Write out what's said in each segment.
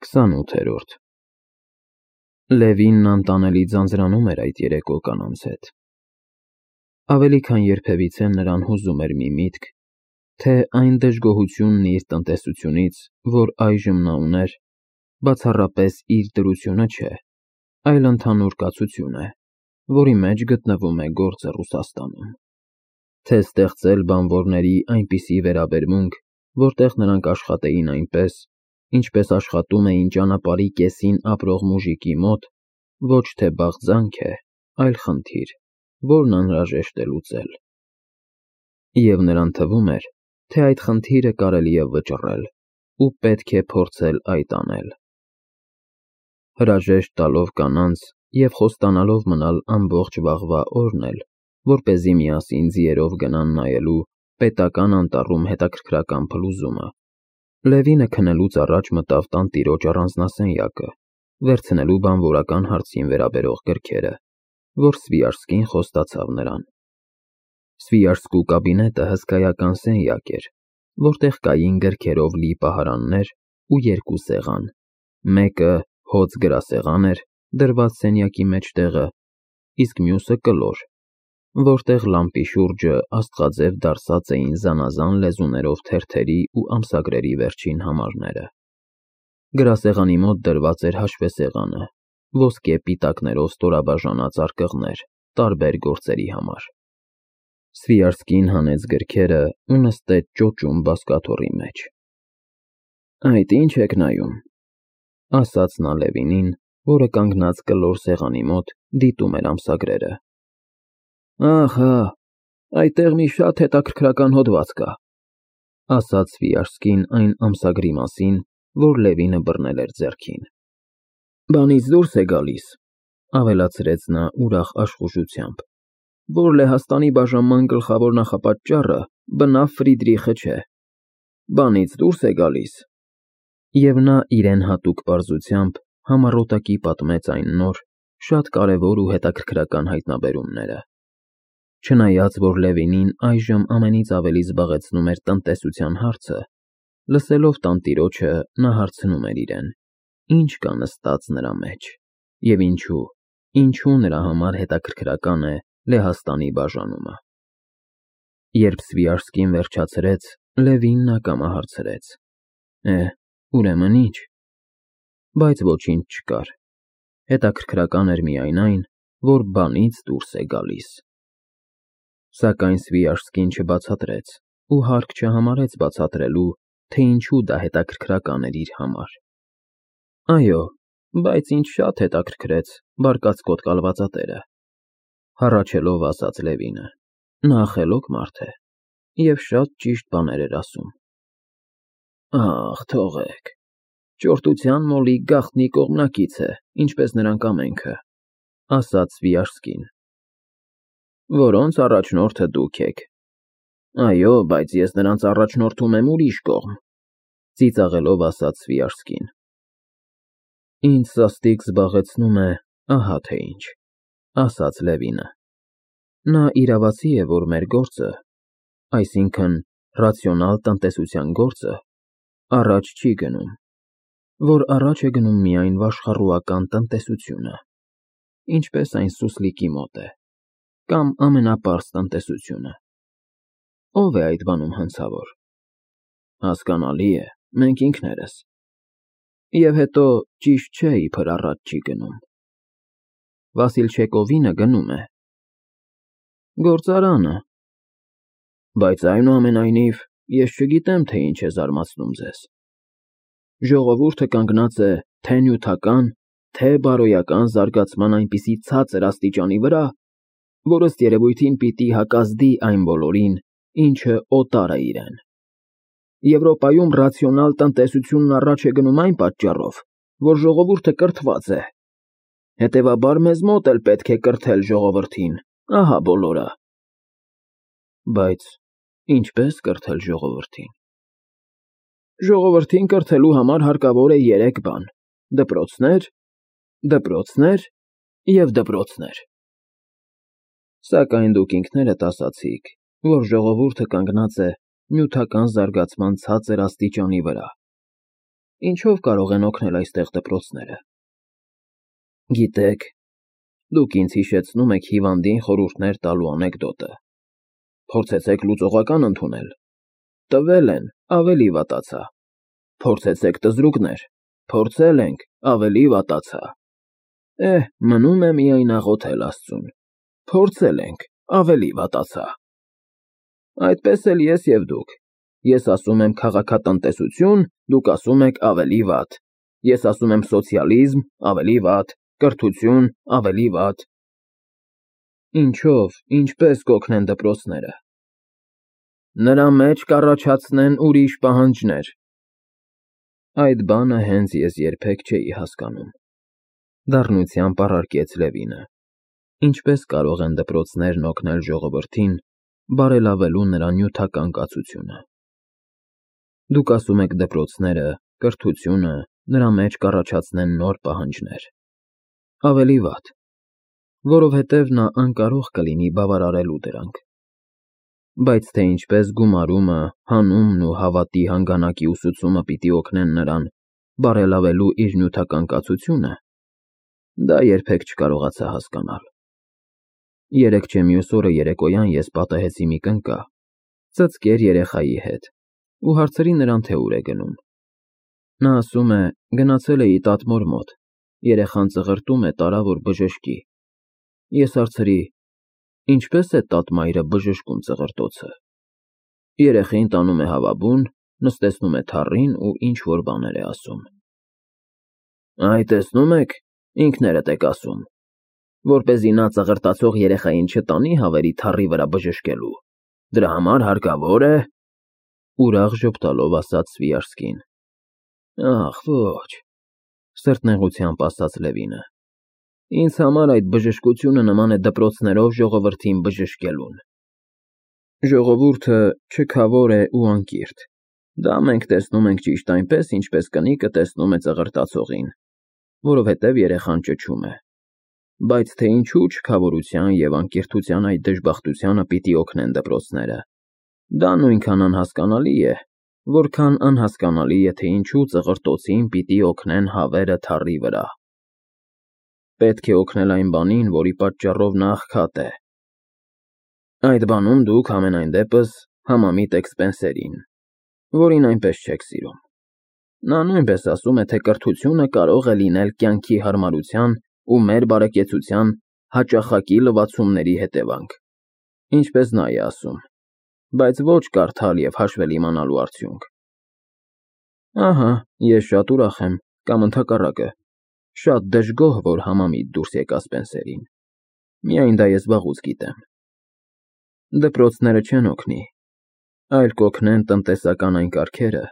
28-րդ Լևինն անտանելի ձանձրանում էր այդ երեկո կանանց հետ։ Ավելի քան երբևիցե նրան հուզում էր մի միտք, թե այն դժգոհությունն իր տնտեսությունից, որ այժմ նա ուներ, բացառապես իր դրությունը չէ, այլ ընդհանուր կացություն է, որի մեջ գտնվում է գործը Ռուսաստանում, թե ստեղծել բանվորների այնպիսի վերաբերմունք, որտեղ նրանք աշխատեին այնպես, ինչպես աշխատում էին ճանապարհի կեսին ապրող մուժիկի մոտ, ոչ թե բաղձանք է, այլ խնդիր, որն անհրաժեշտ է լուծել։ Եվ նրան թվում էր, թե այդ խնդիրը կարելի է վճռել ու պետք է փորձել այդ անել։ Հրաժեշտ տալով կանանց և խոստանալով մնալ ամբողջ վաղվա օրն էլ, որպեսզի միասին ձիերով գնան նայելու պետական անտառում հետաքրքրական փլուզումը, Լևինը քնելուց առաջ մտավ տանտիրոջ առանձնասենյակը, վերցնելու բանվորական հարցին վերաբերող գրքերը, որ Սվիաժսկին խոստացավ նրան։ Սվիաժսկու կաբինետը հսկայական սենյակ էր, որտեղ կային գրքերով լի պահարաններ ու երկու սեղան, մեկը հոծ գրասեղան էր, դրված սենյակի մեջտեղը, իսկ մյուսը կլոր, որտեղ լամպի շուրջը աստղաձև դարսած էին զանազան լեզուներով թերթերի ու ամսագրերի վերջին համարները։ Գրասեղանի մոտ դրված էր հաշվեսեղանը, ոսկե պիտակներով ստորաբաժանած արկղներ, տարբեր գործերի համար։ Սվիաժսկին հանեց գրքերը ու նստեց ճոճուն բազկաթոռի մեջ։ «Այդ ի՞նչ եք նայում», ասաց նա Լևինին, որը կանգնած կլոր սեղանի մոտ դիտում էր ամսագրերը։ «Ահա, այդտեղ մի շատ հետաքրքրական հոդված կա», ասաց Սվիաժսկին այն ամսագրի մասին, որ Լևինը բռնել էր ձեռքին։ «Բանից դուրս է գալիս», ավելացրեց նա ուրախ աշխուժությամբ, «որ Լեհաստանի բաժանման գլխավոր նախապատճառը բնավ Ֆրիդրիխը չէ։ Բանից դուրս է գալիս»։ Եվ նա իրեն հատուկ պարզությամբ համառոտակի պատմեց այն նոր, շատ կարևոր ու հետաքրքրական հայտնաբերումները։ Չնայած որ Լևինին այժմ ամենից ավելի զբաղեցնում էր տնտեսության հարցը, լսելով տանտիրոջը նա հարցնում էր իրեն. ինչ կա նստած նրա մեջ, և ինչու նրա համար հետաքրքրական է Լեհաստանի բաժանումը։ Երբ Սվիաժսկին վերջացրեց, Լևինն ակամա հարցրեց. ուրեմն ի՞նչ։ Բայց ոչինչ չկար։ Հետաքրքրական էր միայն այն, որ բանից դուրս է գալիս։ Սակայն Սվիաժսկին չբացատրեց ու հարկ չհամարեց բացատրելու, թե ինչու դա հետաքրքրական էր իր համար։ Այո, բայց ինձ շատ հետաքրքրեց բարկացկոտ կալվածատերը, հառաչելով ասաց Լևինը։ Նա խելոք մարդ է և շատ ճիշտ բաներ էր ասում։ Ախ, թողեք, ճորտության մոլի գաղտնի կողմնակից է, ինչպես նրանք ամենքը, ասաց Սվիաժսկին։ Որոնց առաջնորդը դուք եք։ Այո, բայց ես նրանց առաջնորդում եմ ուրիշ կողմ, ծիծաղելով ասաց Սվիաժսկին։ Ինձ սաստիկ զբաղեցնում է ահա թե ինչ, ասաց Լևինը։ Նա իրավացի է, որ մեր գործը, այսինքն ռացիոնալ տնտեսության գործը, առաջ չի գնում, որ առաջ է գնում միայն վաշխառուական տնտեսությունը, ինչպես այն սուսլիկի մոտ է, կամ ամենապարզ տնտեսությունը։ Ո՞վ է այդ բանում հանցավոր։ Հասկանալի է, մենք ինքներս։ Եվ հետո ճիշտ չէ, իբր առաջ չի գնում։ Վասիլ Չեկովինը գնում է։ Գործարանը։ Բայց այնուամենայնիվ ես չգիտեմ, թե ինչ է զարմացնում ձեզ։ Ժողովուրդը կանգնած է թե նյութական, թե բարոյական զարգացման այնպիսի ցածր աստիճանի վրա, որ ըստ երևույթին պիտի հակազդի այն բոլորին, ինչը օտար է իրեն։ Եվրոպայում ռացիոնալ տնտեսությունն առաջ է գնում այն պատճառով, որ ժողովուրդը կրթված է։ Հետևաբար մեզ մոտ էլ պետք է կրթել ժողովրդին, ահա բոլորը։ Բայց ինչպես կրթել ժողովրդին։ Ժողովրդին կրթելու համար հարկավոր է 3 բան. դպրոցներ և դպրոցներ։ Սակայն դուք ինքներդ ասացիք, որ ժողովուրդը կանգնած է նյութական զարգացման ցածր աստիճանի վրա։ ինչով կարող են օգնել այստեղ դպրոցները։ Գիտեք, դուք ինձ հիշեցնում եք հիվանդին խորհուրդներ տալու անեկդոտը։ Փորձեցեք լուծողական ընդունել։ Տվել են, ավելի վատացա։ Փորձեցեք տզրուկներ։ Փորձել ենք, ավելի վատացա։ Մնում է միայն աղոթել Աստծուն։ Փորձել ենք, ավելի վատացա։ Այդպես էլ ես և դուք։ Ես ասում եմ քաղաքատնտեսություն, դուք ասում եք ավելի վատ։ Ես ասում եմ սոցիալիզմ, ավելի վատ, կրթություն, ավելի վատ։ Ինչով, ինչպես կօգնեն դպրոցները։ Նրա մեջ կառաջացնեն ուրիշ պահանջներ։ Այդ բանը հենց ես երբեք չէի հասկանում։ Դառնությամբ առարկեց Լևինը։ Ինչպես կարող են դպրոցներն օգնել ժողովրդին, բարելավելու նրա նյութական կացությունը։ Դուք ասում եք դպրոցները, կրթությունը, նրա մեջ կառաջացնեն նոր պահանջներ։ Ավելի վատ, որովհետև նա անկարող կլինի բավարարելու դրանք։ Բայց թե ինչպես գումարումը, հանումն ու հավատի հանգանակի ուսուցումը պիտի օգնեն նրան բարելավելու իր նյութական կացությունը, դա երբեք չկարողացա հասկանալ։ Երեկ չէ մյուս օրը երեկոյան ես պատահեցի մի կնկա, ծծկեր երեխայի հետ, ու հարցրի նրան, թե ուր է գնում։ Նա ասում է, գնացել էի տատմոր մոտ, երեխան ծղրտում է, տարա, որ բժշկի։ Ես հարցրի, ինչպես է տատմայրը բժշկում ծղրտոցը։ Երեխին տանում է հավաբուն, նստեցնում է թառին ու ինչ-որ բաներ է ասում։ Այ տեսնում եք, ինքներդ եք ասում, որպեսզի նա ծղրտացող երեխային չտանի հավերի թառի վրա բժշկելու, դրա համար հարկավոր է, ուրախ ժպտալով ասաց Սվիարսկին։ Ախ, ոչ, սրտնեղությամբ ասաց Լևինը։ Ինձ համար այդ բժշկությունը նման է դպրոցներով ժողովրդին բժշկելուն։ Ժողովուրդը չքավոր է ու անկիրթ։ Դա մենք տեսնում ենք ճիշտ այնպես, ինչպես կնիկը տեսնում է ծղրտացողին, որովհետև երեխան ճչում է։ Բայց թե ինչու չքավորության և անկիրթության այդ դժբախտությանը պիտի օգնեն դպրոցները, դա նույնքան անհասկանալի է, որքան անհասկանալի է, թե ինչու ծղրտոցին պիտի օգնեն հավերը թառի վրա։ Պետք է օգնել այն բանին, որի պատճառով նա աղքատ է։ Այդ բանում դուք համենայն դեպս համամիտ եք Սպենսերին, որին այնպես չեք սիրում։ Նա նույնպես ասում է, թե կրթությունը կարող է լինել կյանքի հարմարության ու մեր բարեկեցության հաճախակի լվացումների հետևանք, ինչպես նա է ասում, բայց ոչ կարդալ և հաշվել իմանալու արդյունք։ Ահա, ես շատ ուրախ եմ, կամ ընդհակառակը, շատ դժգոհ, որ համամիտ դուրս եկա Սպենսերին։ Միայն դա ես վաղուց գիտեմ։ Դպրոցները չեն օգնի, այլ կօգնեն տնտեսական այն կարգերը,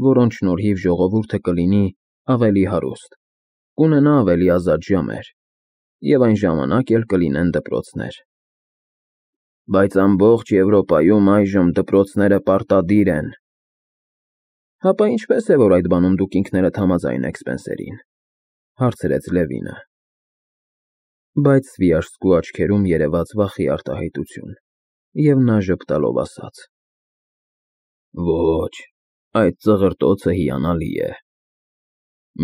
որոնց շնորհիվ ժողովուրդը կլինի ավելի հարուստ, կունենա ավելի ազատ ժամեր, և այն ժամանակ էլ կլինեն դպրոցներ։ Բայց ամբողջ Եվրոպայում այժմ դպրոցները պարտադիր են։ Հապա ինչպես է, որ այդ բանում դուք ինքներդ համաձայն եք Սպենսերին, հարցրեց Լևինը։ Բայց Սվիարսկու աչքերում երևաց վախի արտահայտություն, և նա ժպտալով ասաց. Ոչ, այդ ծղրտոցը հիանալի է։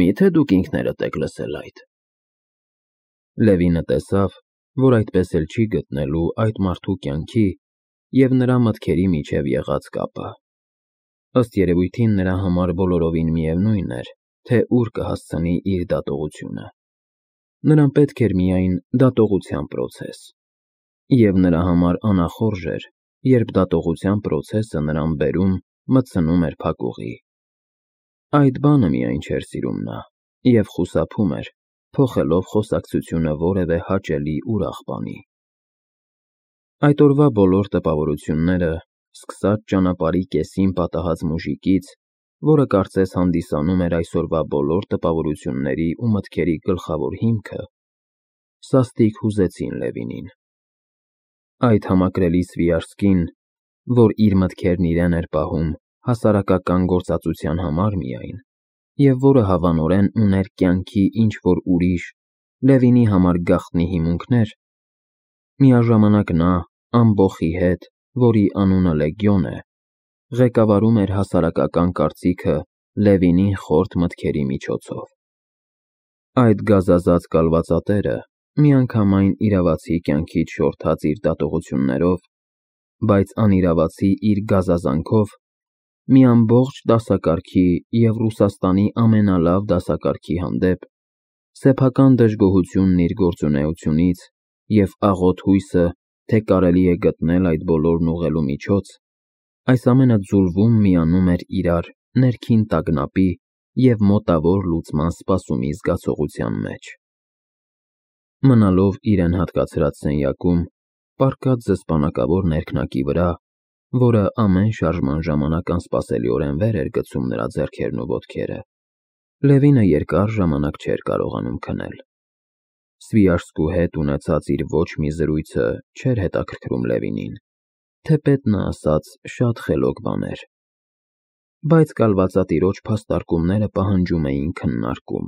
Միթե դուք ինքներդ եք լսել այդ։ Լևինը տեսավ, որ այդպես էլ չի գտնելու այդ մարդու կյանքի և նրա մտքերի միջև եղած կապը։ Ըստ երևույթին նրա համար բոլորովին միևնույն էր, թե ուր կհասցնի իր դատողությունը։ Նրան պետք էր միայն դատողության պրոցես։ Եվ նրա համար անախորժ էր, երբ դատողության պրոցեսը նրան բերում, մտցնում էր փակուղի։ Այդ բանը միայն չէր սիրում նա, և խուսափում էր, փոխելով խոսակցությունը որևէ հաճելի ուրախ բանի։ Այդ օրվա բոլոր տպավորությունները, սկսած ճանապարհի կեսին պատահած մուժիկից, որը կարծես հանդիսանում էր այսօրվա բոլոր տպավորությունների ու մտքերի գլխավոր հիմքը, սաստիկ հուզեցին Լևինին։ Այդ համակրելի Սվիարսկին, որ իր մտքերն իրեն էր պահում հասարակական գործածության համար միայն, և որը հավանորեն ուներ կյանքի ինչ-որ ուրիշ, Լևինի համար գաղտնի հիմունքներ, միաժամանակ նա, ամբոխի հետ, որի անունը Լեգիոն է, ղեկավարում էր հասարակական կարծիքը Լևինին խորթ մտքերի միջոցով։ Այդ գազազած կալվածատերը միանգամայն իրավացի կյանքից շորթած իր դատողություններով, բայց անիրավացի իր գազազանքով մի ամբողջ դասակարգի և Ռուսաստանի ամենալավ դասակարգի հանդեպ սեփական դժգոհությունն իր գործունեությունից և աղոտ հույսը, թե կարելի է գտնել այդ բոլորն ուղղելու միջոց, այս ամենը ձուլվում միանում էր իրար ներքին տագնապի և մոտավոր լուծման սպասումի զգացողության մեջ։ Մնալով իրեն հատկացրած սենյակում, պառկած զսպանակավոր ներքնակի վրա, որը ամեն շարժման ժամանակ անսպասելիորեն վեր էր գցում նրա ձեռքերն ու ոտքերը, Լևինը երկար ժամանակ չէր կարողանում քնել։ Սվիաշսկու հետ ունեցած իր ոչ մի զրույցը չէր հետաքրքրում Լևինին, թեպետ նա ասաց շատ խելոք բաներ, բայց կալվածատիրոջ փաստարկումները պահանջում էին քննարկում։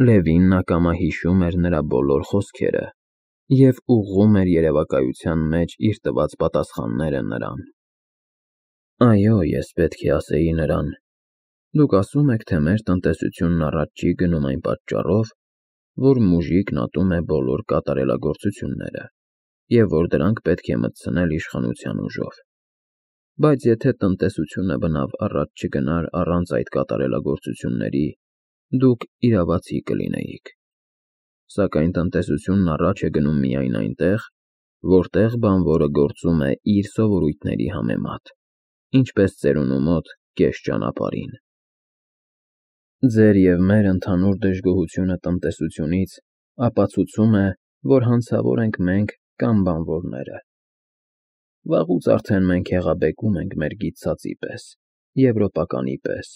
Լևինն ակամա հիշում էր նրա բոլոր խոսքերը և ուղղում էր երևակայության մեջ իր տված պատասխանները նրան։ Այո, ես պետք է ասեի նրան. դուք ասում եք, թե մեր տնտեսությունն առաջ չի գնում այն պատճառով, որ մուժիկն ատում է բոլոր կատարելագործությունները և որ դրանք պետք է մտցնել իշխանության ուժով։ Բայց եթե տնտեսությունը բնավ առաջ չգնար առանց այդ կատարելագործությունների, դուք իրավացի կլինեիք։ Սակայն տնտեսությունն առաջ է գնում միայն այնտեղ, որտեղ բանվորը գործում է իր սովորույթների համեմատ, ինչպես ծերունու մոտ կես ճանապարհին։ Ձեր և մեր ընդհանուր դժգոհությունը տնտեսությունից ապացուցում է, որ հանցավոր ենք մենք կամ բանվորները։ Վաղուց արդեն մենք հեղաբեկում ենք մեր գիտծածի պես, եվրոպականի պես,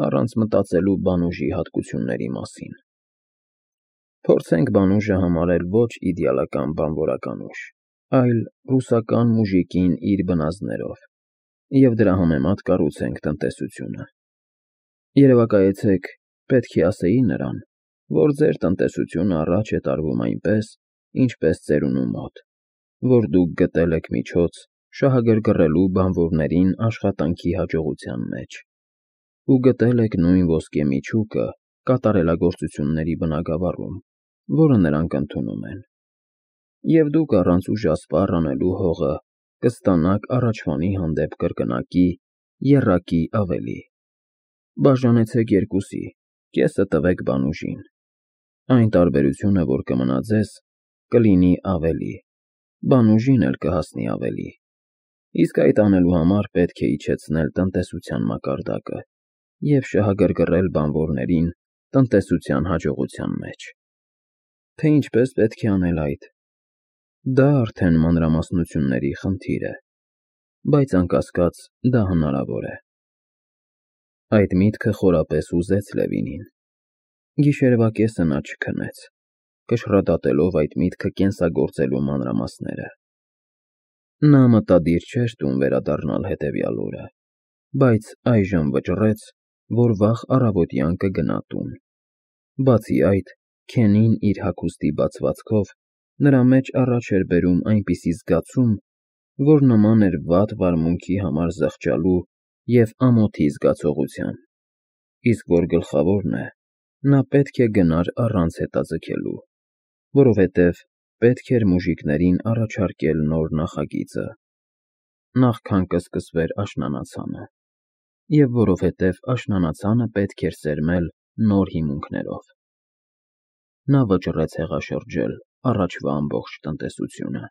առանց մտածելու բանուժի հատկությունների մասին։ Փորձենք բանուժը համարել ոչ իդեալական բանվորական ուժ, այլ ռուսական մուժիկին իր բնազդներով, և դրա համեմատ կառուցենք տնտեսությունը։ Երևակայեցեք, պետք է ասեի նրան, որ ձեր տնտեսությունը առաջ է տարվում այնպես, ինչպես ծերունու մոտ, որ դուք գտել եք միջոց շահագրգռելու բանվորներին աշխատանքի հաջողության մեջ, ու գտել եք նույն ոսկե միջուկը կատարելագործությունների բնագավառում, որը նրանք ընդունում են, և դուք առանց ուժասպառ անելու հողը կստանաք առաջվանի հանդեպ կրկնակի, եռակի ավելի։ Բաժանեցեք երկուսի, կեսը տվեք բանուժին։ Այն տարբերությունը, որ կմնա ձեզ, կլինի ավելի, բանուժին էլ կհասնի ավելի։ Իսկ այդ անելու համար պետք է իջեցնել տնտեսության մակարդակը և շահագրգռել բանվորներին տնտեսության հաջողության մեջ։ Թե ինչպես պետք է անել այդ, դա արդեն մանրամասնությունների խնդիր է, բայց անկասկած դա հնարավոր է։ Այդ միտքը խորապես ուզեց Լևինին։ Գիշերվա կեսը նա չքնեց, կշռադատելով այդ միտքը կենսագործելու մանրամասները։ Նա մտադիր չէր տուն վերադառնալ հետևյալ օրը, բայց այժմ վճռեց, որ վաղ առավոտյան կգնա տուն։ Բացի այդ, Քենին իր հագուստի բացվածքով նրա մեջ առաջ էր բերում այնպիսի զգացում, որ նման էր վատ վարմունքի համար զղջալու և ամոթի զգացողության, իսկ որ գլխավորն է, նա պետք է գնար առանց հետաձգելու, որովհետև պետք էր մուժիկներին առաջարկել նոր նախագիծը, նախքան կսկսվեր աշնանացանը, և որովհետև աշնանացանը պետք էր սերմել նոր հիմունքներով։ Նա վճռեց հեղաշրջել առաջվա ամբողջ տնտեսությունը։